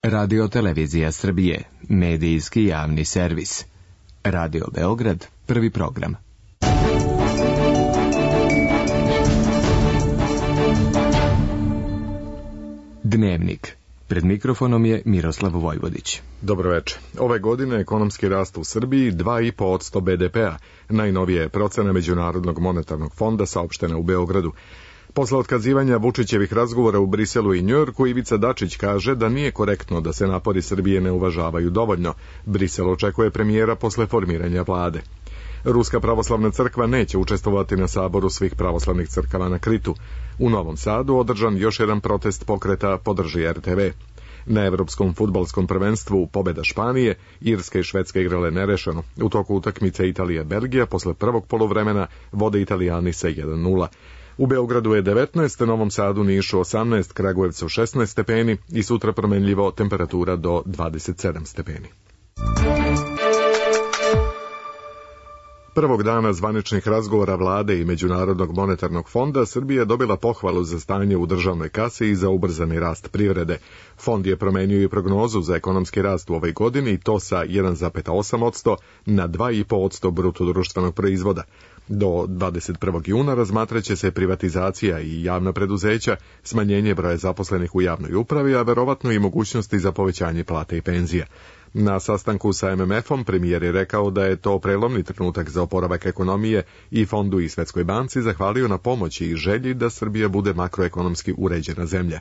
Radio Televizija Srbije, medijski javni servis. Radio Beograd, prvi program. Dnevnik. Pred mikrofonom je Miroslav Vojvodić. Dobro večer. Ove godine ekonomski rast u Srbiji 2,5% BDP-a. Najnovije je procena Međunarodnog monetarnog fonda saopštena u Beogradu. Posle otkazivanja Vučićevih razgovora u Briselu i Njujorku, Ivica Dačić kaže da nije korektno da se napori Srbije ne uvažavaju dovoljno. Brisel očekuje premijera posle formiranja vlade. Ruska pravoslavna crkva neće učestvovati na saboru svih pravoslavnih crkava na Kritu. U Novom Sadu održan još jedan protest pokreta Podrži RTV. Na evropskom fudbalskom prvenstvu pobeda Španije, Irska i Švedska igrale nerešeno. U toku utakmice Italija-Belgija posle prvog poluvremena vode Italijani sa 1:0. U Beogradu je 19, Novom Sadu, Nišu 18, Kragujevcu 16 stepeni i sutra promenljivo temperatura do 27 stepeni. Prvog dana zvaničnih razgovora vlade i Međunarodnog monetarnog fonda Srbija dobila pohvalu za stanje u državnoj kasi i za ubrzani rast privrede. Fond je promenio i prognozu za ekonomski rast u ovoj godini i to sa 1,8% na 2,5% bruto društvenog proizvoda. Do 21. juna razmatraće se privatizacija i javna preduzeća, smanjenje broja zaposlenih u javnoj upravi, a verovatno i mogućnosti za povećanje plate i penzija. Na sastanku sa MMF-om premijer je rekao da je to prelomni trenutak za oporavak ekonomije i Fondu i Svetskoj banci zahvalio na pomoći i želji da Srbija bude makroekonomski uređena zemlja.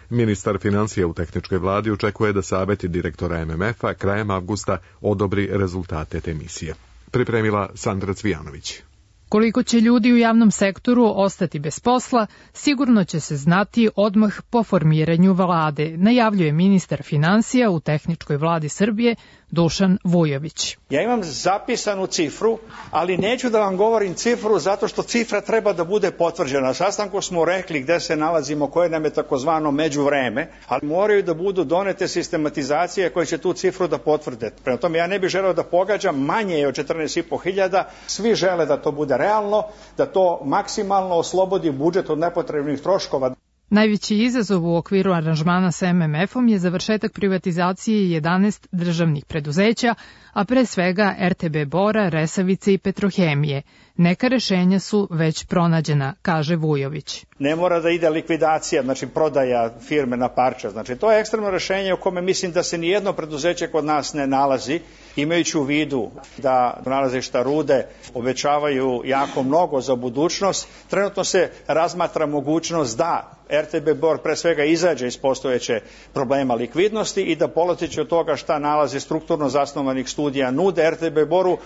Ministar financija u tehničkoj vladi očekuje da saveti direktora MMF-a krajem avgusta odobri rezultate te misije. Pripremila Sandra Cvijanović. Koliko će ljudi u javnom sektoru ostati bez posla, sigurno će se znati odmah po formiranju vlade, najavljuje ministar financija u tehničkoj vladi Srbije Dušan Vujović. Ja imam zapisanu cifru, ali neću da vam govorim cifru zato što cifra treba da bude potvrđena. Na sastanku smo rekli gde se nalazimo, koje nam je takozvano međuvreme, ali moraju da budu donete sistematizacije koje će tu cifru da potvrde. Prema tome ja ne bih želeo da pogađam, manje je od 14.500, svi žele da to bude realno, da to maksimalno oslobodi budžet od nepotrebnih troškova. Najveći izazov u okviru aranžmana sa MMF-om je završetak privatizacije 11 državnih preduzeća, a pre svega RTB Bora, Resavice i Petrohemije. Neka rešenja su već pronađena, kaže Vujović. Ne mora da ide likvidacija, znači prodaja firme na parče. Znači to je ekstremno rešenje u kome mislim da se nijedno preduzeće kod nas ne nalazi, imajući u vidu da nalazišta rude obećavaju jako mnogo za budućnost. Trenutno se razmatra mogućnost da RTB Bor pre svega izađe iz postojeće problema likvidnosti i da polazeći od toga šta nalazi strukturno zasnovanih studija nude RTB Boru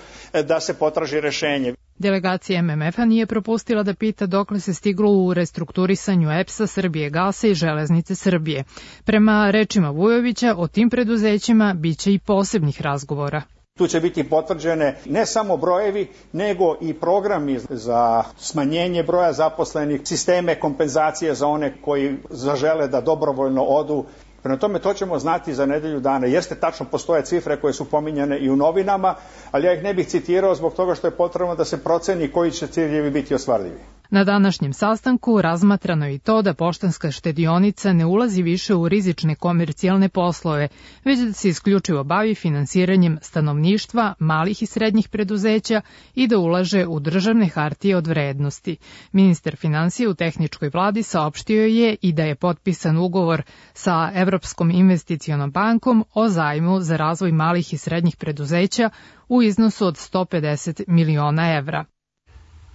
da se potraži rešenje. Delegacija MMF-a nije propustila da pita dokle se stiglo u restrukturisanju EPS-a, Srbije gasa i Železnice Srbije. Prema rečima Vujovića, o tim preduzećima biće i posebnih razgovora. Tu će biti potvrđene ne samo brojevi, nego i programi za smanjenje broja zaposlenih, sisteme kompenzacije za one koji zažele da dobrovoljno odu. Prema tome, to ćemo znati za nedelju dana. Jeste, tačno postoje cifre koje su pominjane i u novinama, ali ja ih ne bih citirao zbog toga što je potrebno da se proceni koji će ciljevi biti ostvarljivi. Na današnjem sastanku razmatrano je i to da Poštanska štedionica ne ulazi više u rizične komercijalne poslove, već da se isključivo bavi finansiranjem stanovništva, malih i srednjih preduzeća i da ulaže u državne hartije od vrednosti. Ministar financija u tehničkoj vladi saopštio je i da je potpisan ugovor sa Evropskom investicionom bankom o zajmu za razvoj malih i srednjih preduzeća u iznosu od 150 miliona evra.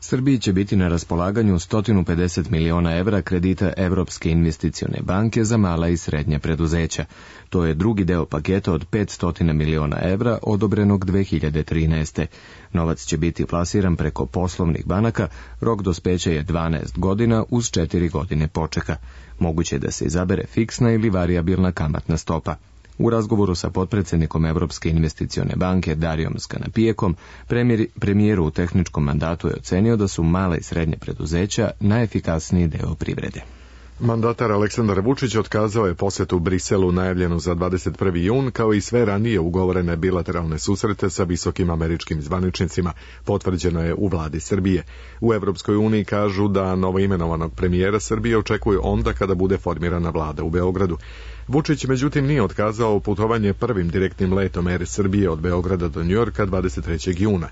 Srbiji će biti na raspolaganju 150 miliona evra kredita Evropske investicione banke za mala i srednja preduzeća. To je drugi deo paketa od 500 miliona evra odobrenog 2013. Novac će biti plasiran preko poslovnih banaka, rok dospeća je 12 godina uz 4 godine počeka. Moguće je da se izabere fiksna ili varijabilna kamatna stopa. U razgovoru sa potpredsjednikom Evropske investicione banke Darijom Skanapijekom, premijeru u tehničkom mandatu je ocenio da su mala i srednje preduzeća najefikasniji deo privrede. Mandatar Aleksandar Vučić otkazao je posetu Briselu najavljenu za 21. jun, kao i sve ranije ugovorene bilateralne susrete sa visokim američkim zvaničnicima, potvrđeno je u vladi Srbije. U Evropskoj uniji kažu da novoimenovanog premijera Srbije očekuju onda kada bude formirana vlada u Beogradu. Vučić međutim nije otkazao putovanje prvim direktnim letom Air Srbije od Beograda do Njujorka 23. juna.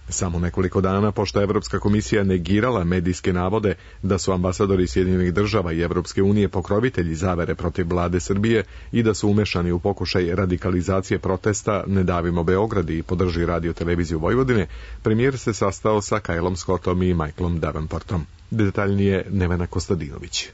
Samo nekoliko dana pošto Evropska komisija negirala medijske navode da su ambasadori Sjedinjenih država i Evropske unije pokrovitelji zavere protiv vlade Srbije i da su umešani u pokušaj radikalizacije protesta Ne davimo Beograd i Podrži radio televiziju Vojvodine, premijer se sastao sa Kylom Scottom i Michaelom Davenportom. Detaljnije Nevena Kostadinović.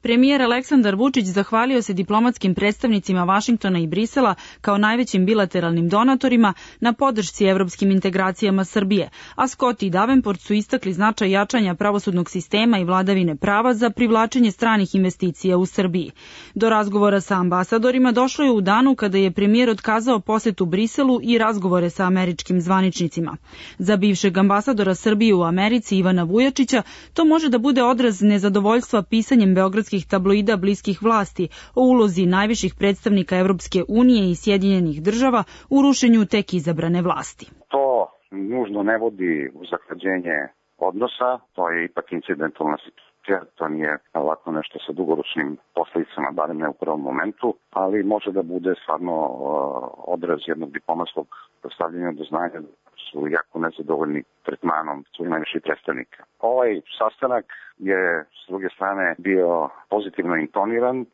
Premijer Aleksandar Vučić zahvalio se diplomatskim predstavnicima Vašingtona i Brisela kao najvećim bilateralnim donatorima na podršci evropskim integracijama Srbije, a Scott i Davenport su istakli značaj jačanja pravosudnog sistema i vladavine prava za privlačenje stranih investicija u Srbiji. Do razgovora sa ambasadorima došlo je u danu kada je premijer otkazao posetu Briselu i razgovore sa američkim zvaničnicima. Za bivšeg ambasadora Srbije u Americi Ivana Vujačića to može da bude odraz nezadovoljstva pisanjem beogradskih tabloida bliskih vlasti o ulozi najviših predstavnika Evropske unije i Sjedinjenih država u rušenju tek izabrane vlasti. To nužno ne vodi u zahlađenje odnosa, to je ipak incidentalna situacija, to nije lako nešto sa dugoročnim posledicama, barem ne u prvom momentu, ali može da bude stvarno odraz jednog diplomatskog stavljanja do znanja su jako nezadovoljni tretmanom svojih najviših predstavnika. Ovaj sastanak je s druge strane bio pozitivno intoniran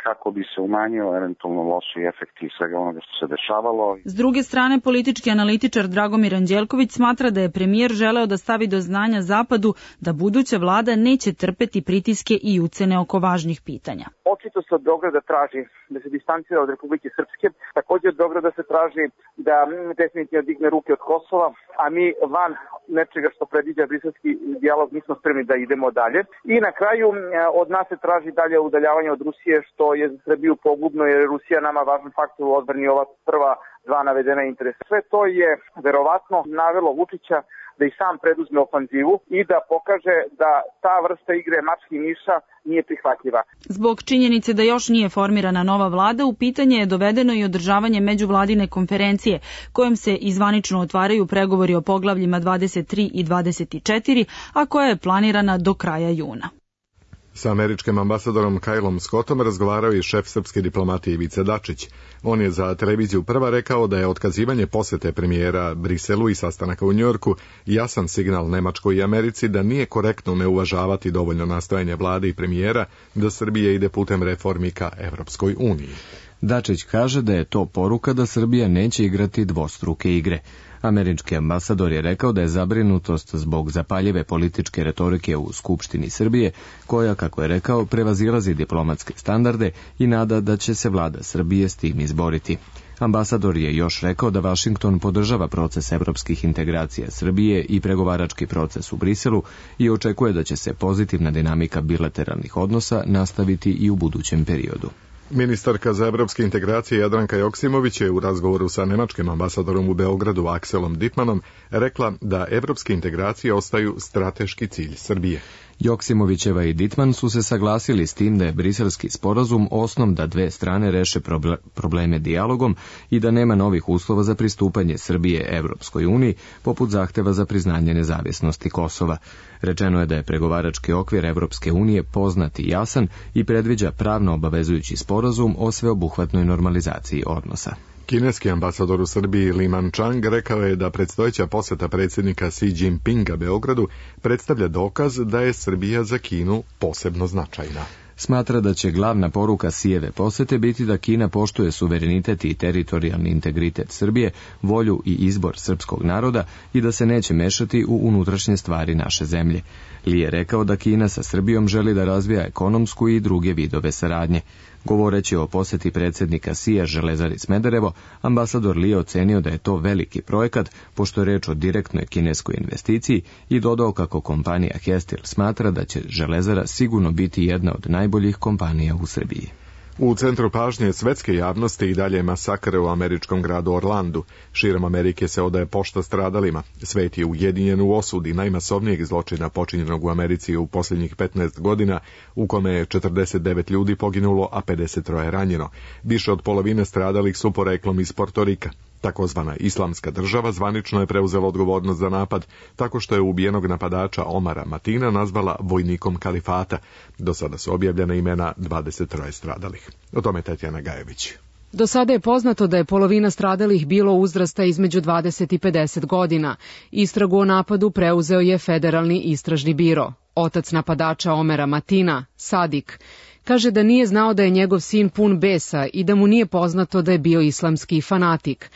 kako bi se umanjio eventualno loši efekti svega onoga što se dešavalo. S druge strane, politički analitičar Dragomir Anđelković smatra da je premijer želeo da stavi do znanja Zapadu da buduća vlada neće trpeti pritiske i ucene oko važnih pitanja. Očito se od Beograda traži da se distancira od Republike Srpske, također od Beograda se traži da definitivno digne ruke od Kosova, a mi van nečega što predviđa briselski dijalog nismo spremni da idemo dalje. I na kraju od nas se traži dalje udaljavanje od Rusije, što je za Srbiju pogubno jer je Rusija nama važan faktor u odbrani ova prva dva navedena interesa. Sve to je verovatno navelo Vučića da i sam preduzme ofanzivu i da pokaže da ta vrsta igre mački i miša nije prihvatljiva. Zbog činjenice da još nije formirana nova vlada, u pitanje je dovedeno i održavanje međuvladine konferencije, kojom se izvanično otvaraju pregovori o poglavljima 23 i 24, a koja je planirana do kraja juna. Sa američkim ambasadorom Kylom Scottom razgovarao i šef srpske diplomatije Ivica Dačić. On je za televiziju Prva rekao da je otkazivanje posete premijera Briselu i sastanaka u Njujorku jasan signal Nemačkoj i Americi da nije korektno ne uvažavati dovoljno nastojanje vlade i premijera da Srbija ide putem reformi ka Evropskoj uniji. Dačić kaže da je to poruka da Srbija neće igrati dvostruke igre. Američki ambasador je rekao da je zabrinutost zbog zapaljive političke retorike u Skupštini Srbije, koja, kako je rekao, prevazilazi diplomatske standarde i nada da će se vlada Srbije s tim izboriti. Ambasador je još rekao da Vašington podržava proces evropskih integracija Srbije i pregovarački proces u Briselu i očekuje da će se pozitivna dinamika bilateralnih odnosa nastaviti i u budućem periodu. Ministarka za evropske integracije Jadranka Joksimović je u razgovoru sa nemačkim ambasadorom u Beogradu Akselom Dittmanom rekla da evropske integracije ostaju strateški cilj Srbije. Joksimovićeva i Dittman su se saglasili s tim da je briselski sporazum osnov da dve strane reše probleme dijalogom i da nema novih uslova za pristupanje Srbije Evropskoj uniji, poput zahteva za priznanje nezavisnosti Kosova. Rečeno je da je pregovarački okvir Evropske unije poznat i jasan i predviđa pravno obavezujući sporazum o sveobuhvatnoj normalizaciji odnosa. Kineski ambasador u Srbiji Li Manchang rekao je da predstojeća poseta predsjednika Xi Jinpinga Beogradu predstavlja dokaz da je Srbija za Kinu posebno značajna. Smatra da će glavna poruka Xijeve posete biti da Kina poštuje suverenitet i teritorijalni integritet Srbije, volju i izbor srpskog naroda i da se neće mešati u unutrašnje stvari naše zemlje. Li je rekao da Kina sa Srbijom želi da razvija ekonomsku i druge vidove saradnje. Govoreći o poseti predsjednika Xija Železari Smederevo, ambasador Li je ocenio da je to veliki projekat, pošto je reč o direktnoj kineskoj investiciji i dodao kako kompanija Hestil smatra da će Železara sigurno biti jedna od najboljih kompanija u Srbiji. U centru pažnje svetske javnosti i dalje masakre u američkom gradu Orlandu. Širom Amerike se odaje pošta stradalima. Svet je ujedinjen u osudi najmasovnijeg zločina počinjenog u Americi u posljednjih 15 godina, u kome je 49 ljudi poginulo, a 53 ranjeno. Više od polovine stradalih su poreklom iz Portorika. Takozvana Islamska država zvanično je preuzela odgovornost za napad tako što je ubijenog napadača Omara Matina nazvala vojnikom kalifata. Do sada su objavljena imena 23 stradalih. O tome Tatjana Gajević. Do sada je poznato da je polovina stradalih bilo uzrasta između 20 i 50 godina. Istragu o napadu preuzeo je Federalni istražni biro. Otac napadača Omera Matina, Sadik, kaže da nije znao da je njegov sin pun besa i da mu nije poznato da je bio islamski fanatik.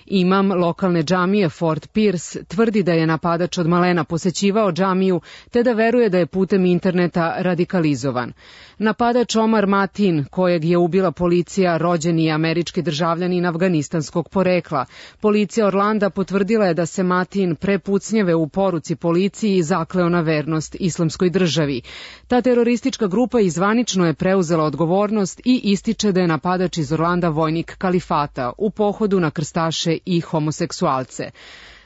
Imam lokalne džamije Fort Pierce tvrdi da je napadač od malena posećivao džamiju te da veruje da je putem interneta radikalizovan. Napadač Omar Matin, kojeg je ubila policija, rođeni je američki državljanin afganistanskog porekla. Policija Orlanda potvrdila je da se Matin pre pucnjave u poruci policiji zakleo na vernost islamskoj državi. Ta teroristička grupa izvanično je preuzela odgovornost i ističe da je napadač iz Orlanda vojnik kalifata u pohodu na krstaše i homoseksualce.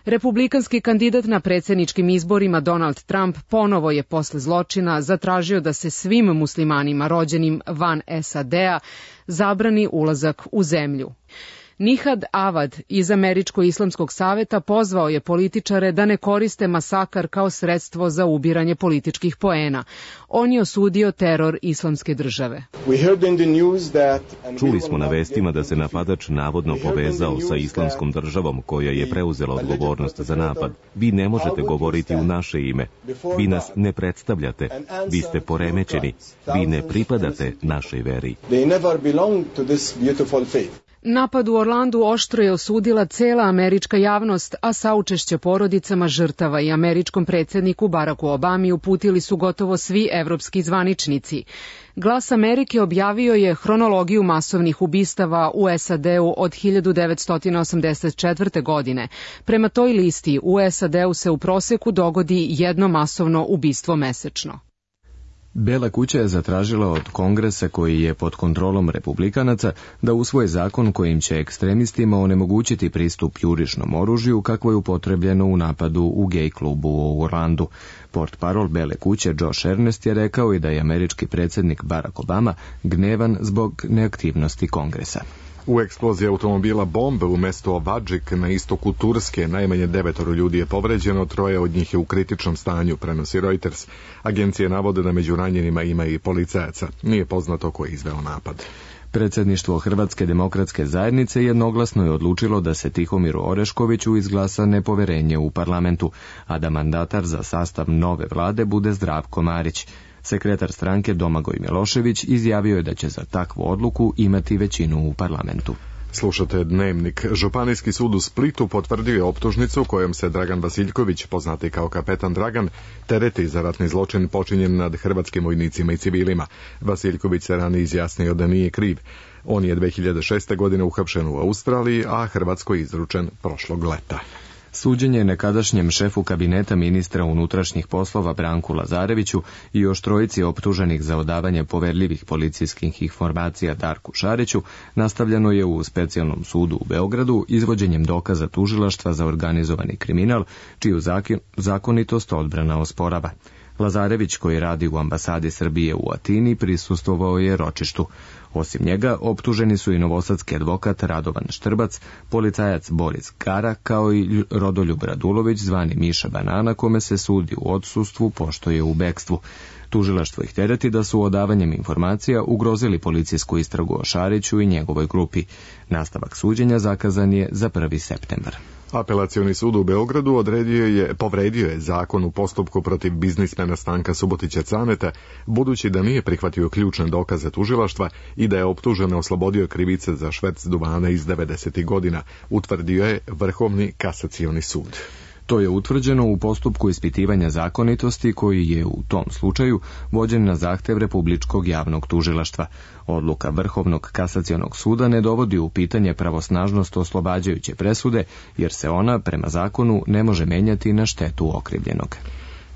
Republikanski kandidat na predsjedničkim izborima Donald Trump ponovo je posle zločina zatražio da se svim muslimanima rođenim van SAD-a zabrani ulazak u zemlju. Nihad Avad iz Američko-islamskog saveta pozvao je političare da ne koriste masakar kao sredstvo za ubiranje političkih poena. On je osudio teror islamske države. Čuli smo na vestima da se napadač navodno povezao sa islamskom državom koja je preuzela odgovornost za napad. Vi ne možete govoriti u naše ime. Vi nas ne predstavljate. Vi ste poremećeni. Vi ne pripadate našoj veri. Napad u Orlandu oštro je osudila cela američka javnost, a saučešće porodicama žrtava i američkom predsjedniku Baracku Obami uputili su gotovo svi evropski zvaničnici. Glas Amerike objavio je hronologiju masovnih ubistava u SAD-u od 1984. godine. Prema toj listi u SAD-u se u proseku dogodi jedno masovno ubistvo mesečno. Bela kuća je zatražila od Kongresa, koji je pod kontrolom republikanaca, da usvoje zakon kojim će ekstremistima onemogućiti pristup jurišnom oružju kakvo je upotrebljeno u napadu u gej klubu u Orlandu. Portparol Bele kuće Josh Ernest je rekao i da je američki predsjednik Barack Obama gnevan zbog neaktivnosti Kongresa. U eksploziji automobila bombe u mestu Ovadžik na istoku Turske najmanje 9 ljudi je povređeno, 3 od njih je u kritičnom stanju, prenosi Reuters. Agencije navode da među ranjenima ima i policajaca. Nije poznato ko je izveo napad. Predsjedništvo Hrvatske demokratske zajednice jednoglasno je odlučilo da se Tihomiru Oreškoviću izglasa nepoverenje u parlamentu, a da mandatar za sastav nove vlade bude Zdravko Marić. Sekretar stranke Domagoj Milošević izjavio je da će za takvu odluku imati većinu u parlamentu. Slušate Dnevnik. Županijski sud u Splitu potvrdio je optužnicu kojom se Dragan Vasiljković, poznati kao kapetan Dragan, tereti za ratni zločin počinjen nad hrvatskim vojnicima i civilima. Vasiljković se ranije izjasnio da nije kriv. On je 2006. godine uhapšen u Australiji, a Hrvatskoj izručen prošlog leta. Suđenje nekadašnjem šefu kabineta ministra unutrašnjih poslova Branku Lazareviću i još 3 optuženih za odavanje poverljivih policijskih informacija Darku Šariću nastavljeno je u specijalnom sudu u Beogradu izvođenjem dokaza tužilaštva za organizovani kriminal, čiju zakonitost odbrana osporava. Lazarević, koji radi u ambasadi Srbije u Atini, prisustvovao je ročištu. Osim njega, optuženi su i novosadski advokat Radovan Štrbac, policajac Boris Gara, kao i Rodoljub Radulović, zvani Miša Banana, kome se sudi u odsustvu pošto je u bekstvu. Tužilaštvo ih tereti da su odavanjem informacija ugrozili policijsku istragu o Šariću i njegovoj grupi. Nastavak suđenja zakazan je za 1. septembar. Apelacioni sud u Beogradu povredio je zakon u postupku protiv biznismena Stanka Subotića Caneta, budući da nije prihvatio ključne dokaze tužilaštva i da je optužene oslobodio krivice za šverc duvana iz 90. godina, utvrdio je Vrhovni kasacioni sud. To je utvrđeno u postupku ispitivanja zakonitosti koji je u tom slučaju vođen na zahtev Republičkog javnog tužilaštva. Odluka Vrhovnog kasacionog suda ne dovodi u pitanje pravosnažnost oslobađajuće presude, jer se ona, prema zakonu, ne može menjati na štetu okrivljenog.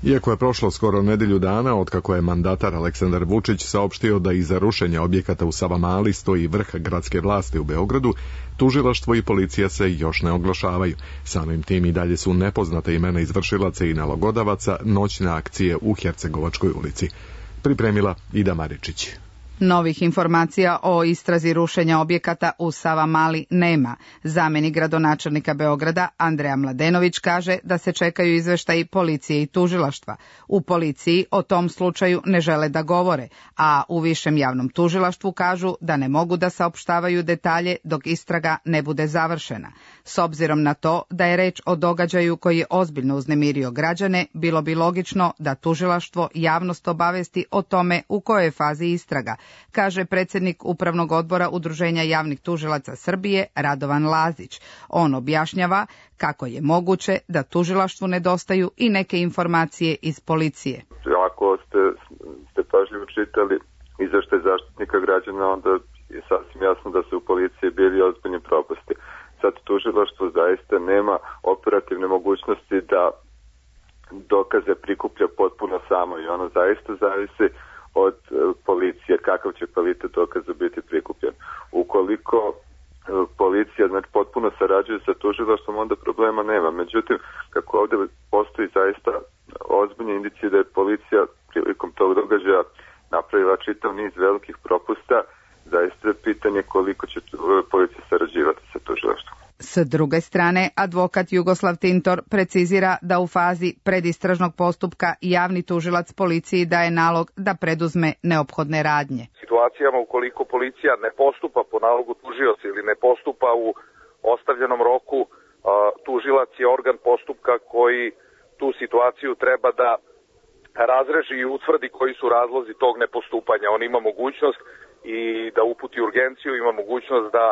Iako je prošlo skoro nedelju dana otkako je mandatar Aleksandar Vučić saopštio da iza rušenja objekata u Savamali stoji vrh gradske vlasti u Beogradu, tužilaštvo i policija se još ne oglašavaju. Samim tim i dalje su nepoznate imena izvršilaca i nalogodavaca noćne akcije u Hercegovačkoj ulici. Pripremila Ida Maričić. Novih informacija o istrazi rušenja objekata u Savamali nema. Zamenik gradonačelnika Beograda Andreja Mladenović kaže da se čekaju izveštaji policije i tužilaštva. U policiji o tom slučaju ne žele da govore, a u Višem javnom tužilaštvu kažu da ne mogu da saopštavaju detalje dok istraga ne bude završena. S obzirom na to da je reč o događaju koji je ozbiljno uznemirio građane, bilo bi logično da tužilaštvo javnost obavesti o tome u kojoj je fazi istraga, kaže predsjednik Upravnog odbora Udruženja javnih tužilaca Srbije Radovan Lazić. On objašnjava kako je moguće da tužilaštvu nedostaju i neke informacije iz policije. Ako ste pažljivo čitali izveštaj Zaštitnika građana, onda je sasvim jasno da su u policiji bili ozbiljni propusti. Sad tužilaštvo zaista nema operativne mogućnosti da dokaze prikuplja potpuno samo i ono zaista zavisi od policije kakav će kvalitet dokaza biti prikupljen. Ukoliko policija potpuno sarađuje sa tužilaštvom, onda problema nema. Međutim, kako ovdje postoji zaista ozbiljne indicije da je policija prilikom tog događaja napravila čitav niz velikih propusta, zaista je pitanje koliko će policija sarađivati sa tužilaštvom. S druge strane, advokat Jugoslav Tintor precizira da u fazi predistražnog postupka javni tužilac policiji daje nalog da preduzme neophodne radnje. Situacijama ukoliko policija ne postupa po nalogu tužioca ili ne postupa u ostavljenom roku, tužilac je organ postupka koji tu situaciju treba da razreži i utvrdi koji su razlozi tog nepostupanja. On ima mogućnost i da uputi urgenciju, ima mogućnost da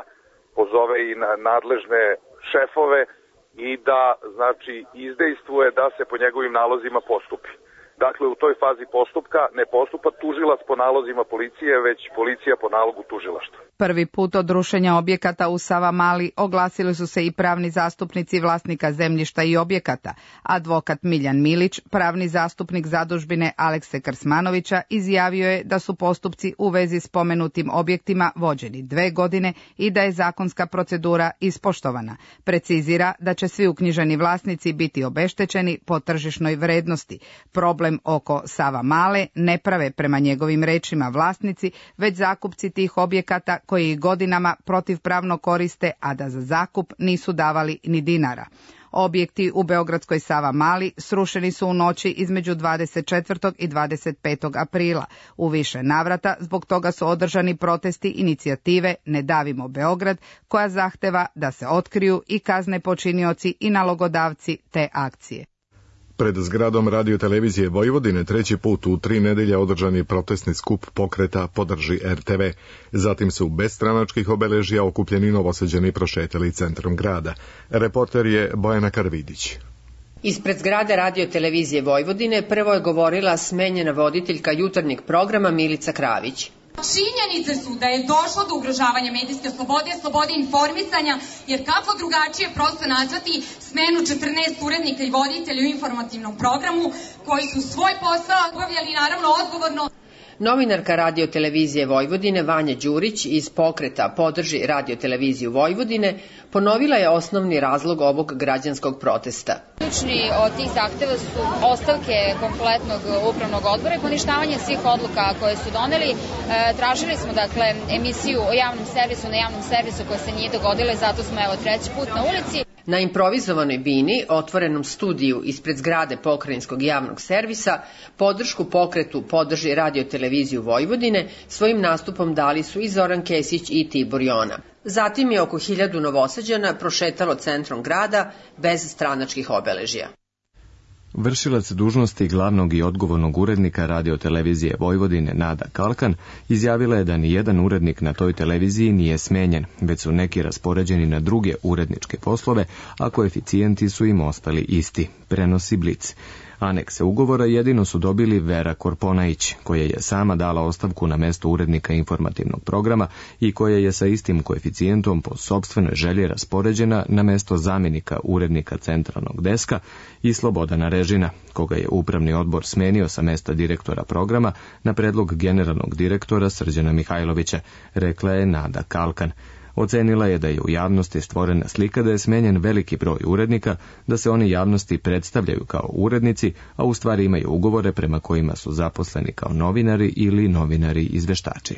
pozove i nadležne šefove i da izdejstvuje da se po njegovim nalozima postupi. Dakle, u toj fazi postupka ne postupa tužilac po nalozima policije, već policija po nalogu tužilaštva. Prvi put od rušenja objekata u Savamali oglasili su se i pravni zastupnici vlasnika zemljišta i objekata. Advokat Miljan Milić, pravni zastupnik zadužbine Alekse Krsmanovića, izjavio je da su postupci u vezi s spomenutim objektima vođeni 2 godine i da je zakonska procedura ispoštovana. Precizira da će svi uknjiženi vlasnici biti obeštećeni po tržišnoj vrednosti. Problem oko Savamale ne prave prema njegovim rečima vlasnici, već zakupci tih objekata koji godinama protivpravno koriste, a da za zakup nisu davali ni dinara. Objekti u beogradskoj Savamali srušeni su u noći između 24. i 25. aprila. U više navrata zbog toga su održani protesti inicijative Ne davimo Beograd, koja zahteva da se otkriju i kazne počinioci i nalogodavci te akcije. Pred zgradom Radio-televizije Vojvodine 3. put u 3 nedelje održan je protestni skup pokreta Podrži RTV. Zatim su bez stranačkih obeležja okupljeni Novosađani prošetali centrom grada. Reporter je Bojana Karvidić. Ispred zgrade Radio-televizije Vojvodine prvo je govorila smenjena voditeljka jutarnjeg programa Milica Kravić. Činjenice su da je došlo do ugrožavanja medijske slobode informisanja, jer kako drugačije prosto nazvati smenu 14 urednika i voditelja u informativnom programu koji su svoj posao obavljali naravno odgovorno. Novinarka Radio-televizije Vojvodine Vanja Đurić iz pokreta Podrži Radio-televiziju Vojvodine ponovila je osnovni razlog ovog građanskog protesta. Ključni od tih zahteva su ostavke kompletnog upravnog odbora i poništavanje svih odluka koje su doneli. Tražili smo emisiju o javnom servisu na javnom servisu koja se nije dogodila i zato smo 3. put na ulici. Na improvizovanoj bini, otvorenom studiju ispred zgrade Pokrajinskog javnog servisa, podršku pokretu Podrži Radio-televiziju Vojvodine svojim nastupom dali su i Zoran Kesić i Tibor Jona. Zatim je oko 1000 Novosađana prošetalo centrom grada bez stranačkih obeležja. Vršilac dužnosti glavnog i odgovornog urednika Radio-televizije Vojvodine Nada Kalkan izjavila je da ni jedan urednik na toj televiziji nije smenjen, već su neki raspoređeni na druge uredničke poslove, a koeficijenti su im ostali isti, prenosi Blic. Anekse ugovora jedino su dobili Vera Korponajić, koja je sama dala ostavku na mesto urednika informativnog programa i koja je sa istim koeficijentom po sopstvenoj želji raspoređena na mesto zamjenika urednika centralnog deska, i Slobodana Režina, koga je upravni odbor smenio sa mesta direktora programa na predlog generalnog direktora Srđana Mihajlovića, rekla je Nada Kalkan. Ocenila je da je u javnosti stvorena slika da je smenjen veliki broj urednika, da se oni javnosti predstavljaju kao urednici, a u stvari imaju ugovore prema kojima su zaposleni kao novinari ili novinari izveštači.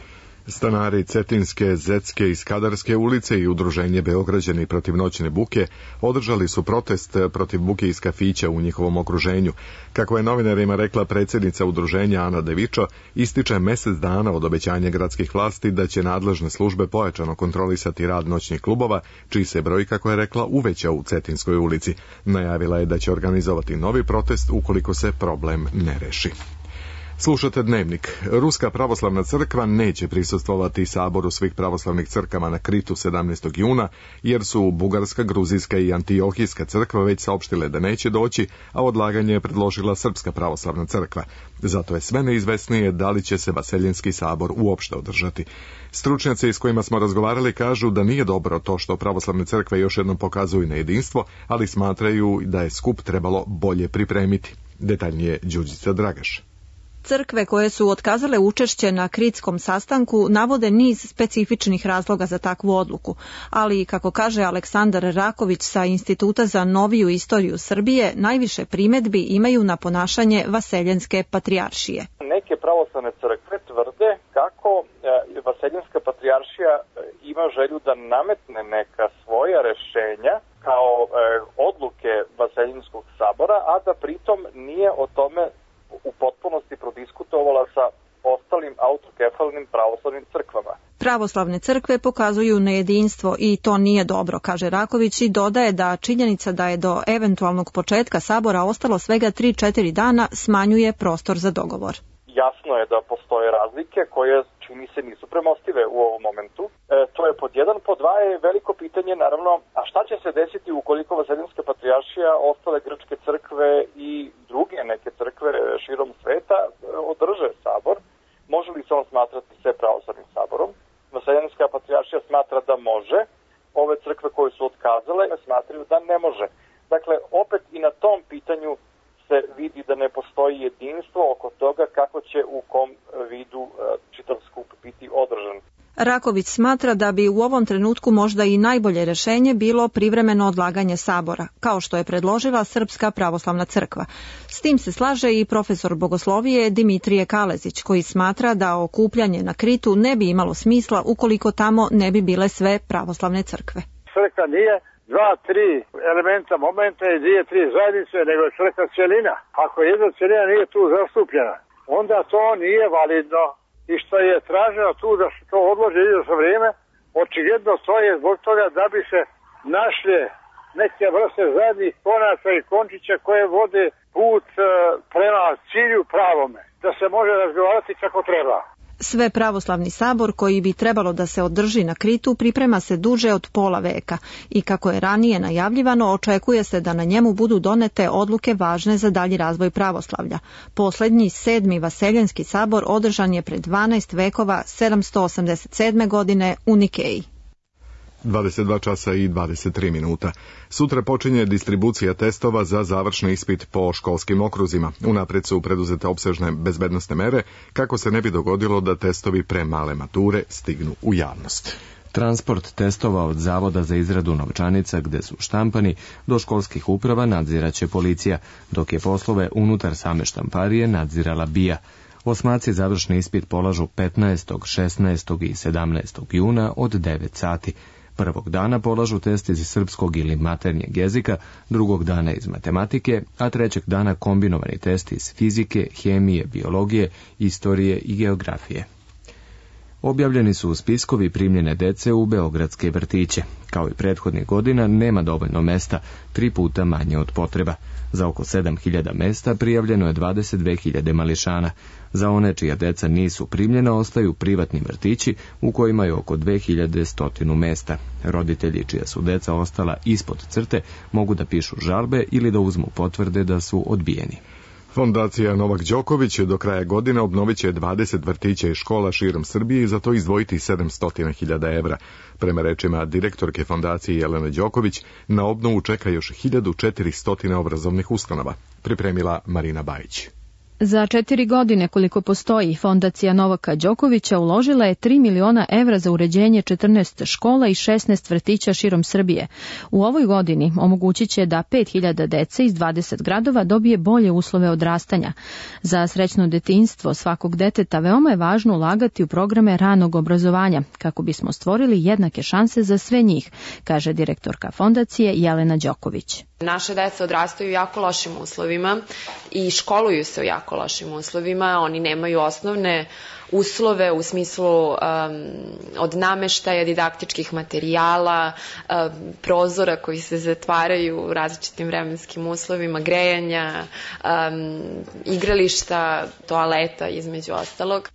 Stanari Cetinske, Zetske i Skadarske ulice i udruženje Beograđani protiv noćne buke održali su protest protiv buke iz kafića u njihovom okruženju. Kako je novinarima rekla predsjednica udruženja Ana Devičo, ističe mjesec dana od obećanja gradskih vlasti da će nadležne službe pojačano kontrolisati rad noćnih klubova, čiji se broj, kako je rekla, uvećao u Cetinskoj ulici. Najavila je da će organizovati novi protest ukoliko se problem ne reši. Slušate Dnevnik. Ruska pravoslavna crkva neće prisustvovati saboru svih pravoslavnih crkava na Kritu 17. juna, jer su Bugarska, Gruzijska i Antiohijska crkva već saopštile da neće doći, a odlaganje je predložila Srpska pravoslavna crkva. Zato je sve neizvesnije da li će se Vaseljenski sabor uopšte održati. Stručnjaci s kojima smo razgovarali kažu da nije dobro to što pravoslavne crkve još jednom pokazuju nejedinstvo, ali smatraju da je skup trebalo bolje pripremiti. Detaljnije Đurđica Dragaš. Crkve koje su otkazale učešće na kritskom sastanku navode niz specifičnih razloga za takvu odluku, ali, kako kaže Aleksandar Raković sa Instituta za noviju istoriju Srbije, najviše primedbi imaju na ponašanje Vaseljenske patrijaršije. Neke pravoslavne crkve tvrde kako Vaseljenska patrijaršija ima želju da nametne neka svoja rešenja kao odluke Vaseljenskog sabora, a da pritom nije o tome u potpunosti prodiskutovala sa ostalim autokefalnim pravoslavnim crkvama. Pravoslavne crkve pokazuju nejedinstvo i to nije dobro, kaže Raković, i dodaje da činjenica da je do eventualnog početka sabora ostalo svega 3-4 dana smanjuje prostor za dogovor. Jasno je da postoje razlike koje, čini se, nisu premostive u ovom momentu. To je pod jedan. Pod dva je veliko pitanje, naravno, a šta će se desiti ukoliko Vaseljenska patrijaršija, ostale grčke crkve i druge neke crkve širom sveta održe sabor? Može li se on smatrati sve pravoslavnim saborom? Vaseljenska patrijaršija smatra da može. Ove crkve koje su otkazale smatraju da ne može. Dakle, opet i na tom pitanju se vidi da ne postoji jedinstvo oko toga kako će u kom vidu čitav skup biti održan. Raković smatra da bi u ovom trenutku možda i najbolje rešenje bilo privremeno odlaganje sabora, kao što je predložila Srpska pravoslavna crkva. S tim se slaže i profesor bogoslovije Dimitrije Kalezić, koji smatra da okupljanje na Kritu ne bi imalo smisla ukoliko tamo ne bi bile sve pravoslavne crkve. Crkva nije 2-3 elementa momenta i 2-3 zajednice, nego je crkva cjelina. Ako jedna cjelina nije tu zastupljena, onda to nije validno. I što je traženo tu da se to odloži izvjesno vrijeme, očigledno to je zbog toga da bi se našle neke vrste zajednih konaca i končića koje vode put prema cilju pravome, da se može razgovarati kako treba. Sve pravoslavni sabor koji bi trebalo da se održi na Kritu priprema se duže od pola veka i, kako je ranije najavljivano, očekuje se da na njemu budu donete odluke važne za dalji razvoj pravoslavlja. Poslednji 7. Vaseljenski sabor održan je pred 12 vekova 787. godine u Nikeji. 22 časa i 23 minuta. Sutra počinje distribucija testova za završni ispit po školskim okruzima. Unaprijed su preduzete opsežne bezbednosne mere kako se ne bi dogodilo da testovi pre male mature stignu u javnost. Transport testova od Zavoda za izradu novčanica gde su štampani do školskih uprava nadziraće policija, dok je poslove unutar same štamparije nadzirala BIA. Osmaci završni ispit polažu 15., 16. i 17. juna od 9 sati. Prvog dana polažu test iz srpskog ili maternjeg jezika, drugog dana iz matematike, a trećeg dana kombinovani test iz fizike, hemije, biologije, istorije i geografije. Objavljeni su spiskovi primljene dece u beogradske vrtiće. Kao i prethodnih godina nema dovoljno mesta, 3 puta manje od potreba. Za oko 7.000 mesta prijavljeno je 22.000 mališana. Za one čija deca nisu primljena ostaju privatni vrtići u kojima je oko 2.100 mesta. Roditelji čija su deca ostala ispod crte mogu da pišu žalbe ili da uzmu potvrde da su odbijeni. Fondacija Novak Đoković do kraja godine obnovit će 20 vrtića i škola širom Srbije i za to izdvojiti 700.000 evra. Prema rečima direktorke fondacije Jelene Đoković, na obnovu čeka još 1400 obrazovnih ustanova. Pripremila Marina Bajić. Za 4 godine koliko postoji, fondacija Novaka Đokovića uložila je 3 miliona evra za uređenje 14 škola i 16 vrtića širom Srbije. U ovoj godini omogućit će da 5000 dece iz 20 gradova dobije bolje uslove odrastanja. Za srećno detinjstvo svakog deteta veoma je važno ulagati u programe ranog obrazovanja, kako bismo stvorili jednake šanse za sve njih, kaže direktorka fondacije Jelena Đoković. Naše deca odrastaju u jako lošim uslovima i školuju se u jako lošim uslovima. Oni nemaju osnovne uslove u smislu od nameštaja, didaktičkih materijala, prozora koji se zatvaraju u različitim vremenskim uslovima, grejanja, igrališta, toaleta između ostalog.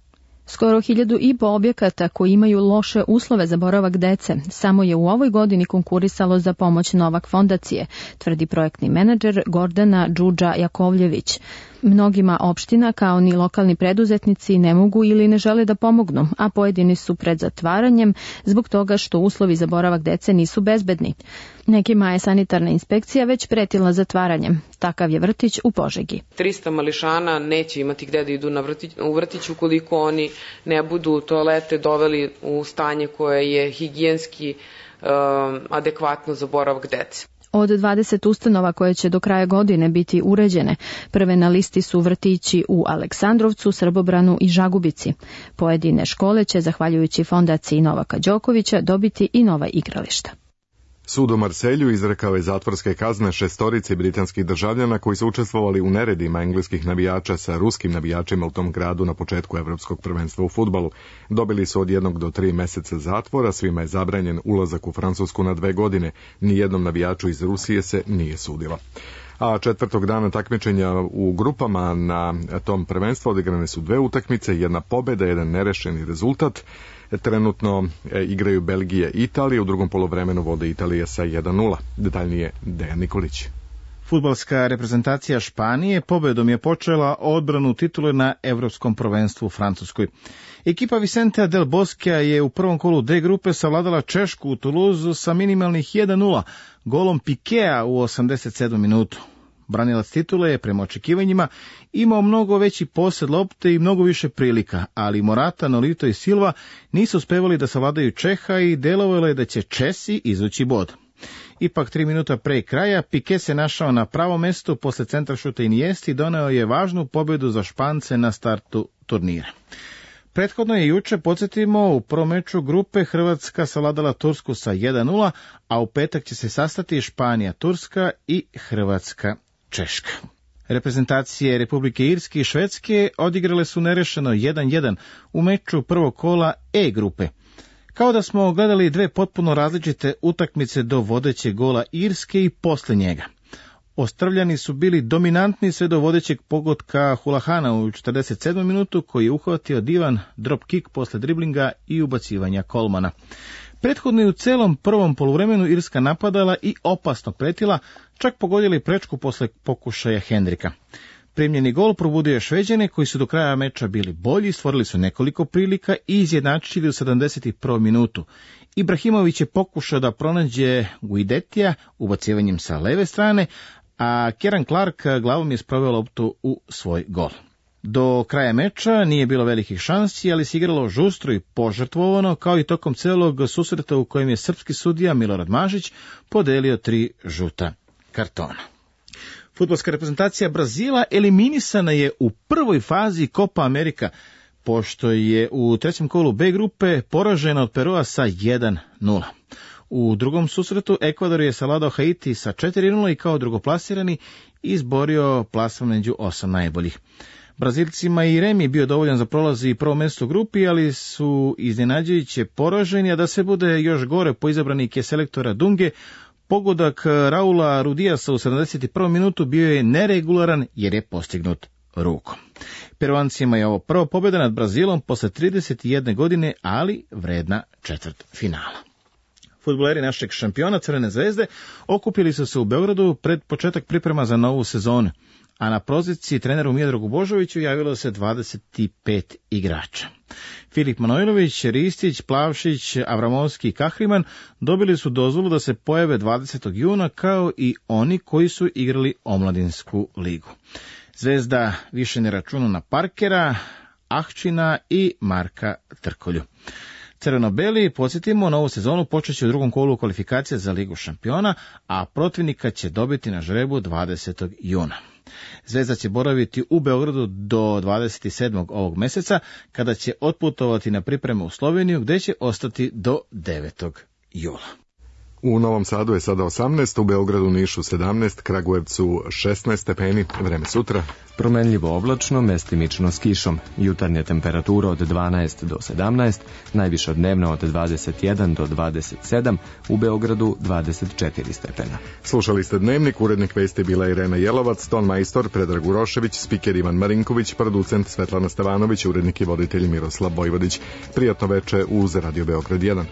Skoro 1500 objekata koji imaju loše uslove za boravak dece samo je u ovoj godini konkurisalo za pomoć Novak fondacije, tvrdi projektni menadžer Gordana Đuđa Jakovljević. Mnogima opština kao ni lokalni preduzetnici ne mogu ili ne žele da pomognu, a pojedini su pred zatvaranjem zbog toga što uslovi za boravak dece nisu bezbedni. Nekima je sanitarna inspekcija već pretila zatvaranjem. Takav je vrtić u Požegi. 300 mališana neće imati gde da idu u vrtić ukoliko oni ne budu toalete doveli u stanje koje je higijenski adekvatno za boravak dece. Od 20 ustanova koje će do kraja godine biti uređene, prve na listi su vrtići u Aleksandrovcu, Srbobranu i Žagubici. Pojedine škole će, zahvaljujući fondaciji Novaka Đokovića, dobiti i nova igrališta. Sud u Marselju izrekao je zatvorske kazne 6 britanskih državljana koji su učestvovali u neredima engleskih navijača sa ruskim navijačima u tom gradu na početku Evropskog prvenstva u fudbalu. Dobili su od 1 do 3 meseca zatvora, svima je zabranjen ulazak u Francusku na 2 godine. Nijednom navijaču iz Rusije se nije sudilo. A četvrtog dana takmičenja u grupama na tom prvenstvu odigrane su 2 utakmice, 1 pobjeda, 1 nerešeni rezultat. Trenutno igraju Belgija i Italija, u drugom poluvremenu vode Italija sa 1:0. Detaljnije Dejan Nikolić. Fudbalska reprezentacija Španije pobedom je počela odbranu titule na Evropskom prvenstvu u Francuskoj. Ekipa Vicentea del Boskea je u prvom kolu D grupe savladala Češku u Toulouseu sa minimalnih 1:0 golom Pikea u 87. minutu. Branilac titule je prema očekivanjima imao mnogo veći posed lopte i mnogo više prilika, ali Morata, Nolito i Silva nisu uspevali da savladaju Čeha i delovalo je da će Česi izvući bod. Ipak 3 minuta pre kraja Pique se našao na pravom mestu posle centaršuta Iniesti i doneo je važnu pobedu za Špance na startu turnira. Prethodno je juče, podsjetimo, u prvom meču grupe Hrvatska savladala Tursku sa 1:0, a u petak će se sastati Španija, Turska i Hrvatska, Češka. Reprezentacije Republike Irske i Švedske odigrale su nerešeno 1:1 u meču prvog kola E grupe. Kao da smo gledali 2 potpuno različite utakmice do vodećeg gola Irske i posle njega. Ostrvljani su bili dominantni sve do vodećeg pogotka Hulahana u 47. minutu, koji je uhvatio divan drop kick posle driblinga i ubacivanja Kolmana. Prethodno je u celom prvom poluvremenu Irska napadala i opasno pretila, čak pogodili prečku posle pokušaja Hendrika. Primljeni gol probudio je Šveđane, koji su do kraja meča bili bolji, stvorili su nekoliko prilika i izjednačili u 71. minutu. Ibrahimović je pokušao da pronađe Guidetija ubacivanjem sa leve strane, a Kieran Clark glavom je sproveo loptu u svoj gol. Do kraja meča nije bilo velikih šansi, ali se igralo žustro i požrtvovano, kao i tokom celog susreta u kojem je srpski sudija Milorad Mažić podelio 3 žuta kartona. Fudbalska reprezentacija Brazila eliminisana je u prvoj fazi Copa America, pošto je u trećem kolu B grupe poražena od Perua sa 1:0. U drugom susretu Ekvador je savladao Haiti sa 4:0 i kao drugoplasirani izborio plasman među 8 najboljih. Brazilcima i remi je bio dovoljan za prolaz i prvo mesto u grupi, ali su iznenađujuće poraženi, a da se bude još gore po izabranike selektora Dunge, pogodak Raula Rudiasa u 71. minutu bio je neregularan jer je postignut rukom. Peruancima je ovo prva pobjeda nad Brazilom posle 31 godine, ali vredna četvrtfinala. Fudbaleri našeg šampiona Crvene zvezde okupili su se u Beogradu pred početak priprema za novu sezonu, a na poziciji treneru Miodragu Božoviću javilo se 25 igrača. Filip Manojlović, Ristić, Plavšić, Avramovski i Kahriman dobili su dozvolu da se pojave 20. juna kao i oni koji su igrali omladinsku ligu. Zvezda više ne računa na Parkera, Ahčina i Marka Trkolju. Crveno-beli, podsjetimo, novu sezonu počeće u drugom kolu kvalifikacija za Ligu šampiona, a protivnika će dobiti na žrebu 20. juna. Zvezda će boraviti u Beogradu do 27. ovog meseca, kada će otputovati na pripreme u Sloveniju, gde će ostati do 9. jula. U Novom Sadu je sada 18, u Beogradu, Nišu 17, Kragujevcu 16 stepeni, vreme sutra. Promenljivo oblačno, mestimično s kišom. Jutarnja temperatura od 12 do 17, najviša dnevna od 21 do 27, u Beogradu 24 stepena. Slušali ste Dnevnik, urednik vesti bila Irena Jelovac, ton majstor Predrag Urošević, spiker Ivan Marinković, producent Svetlana Stevanović, urednik i voditelj Miroslav Vojvodić. Prijatno veče uz Radio Beograd 1.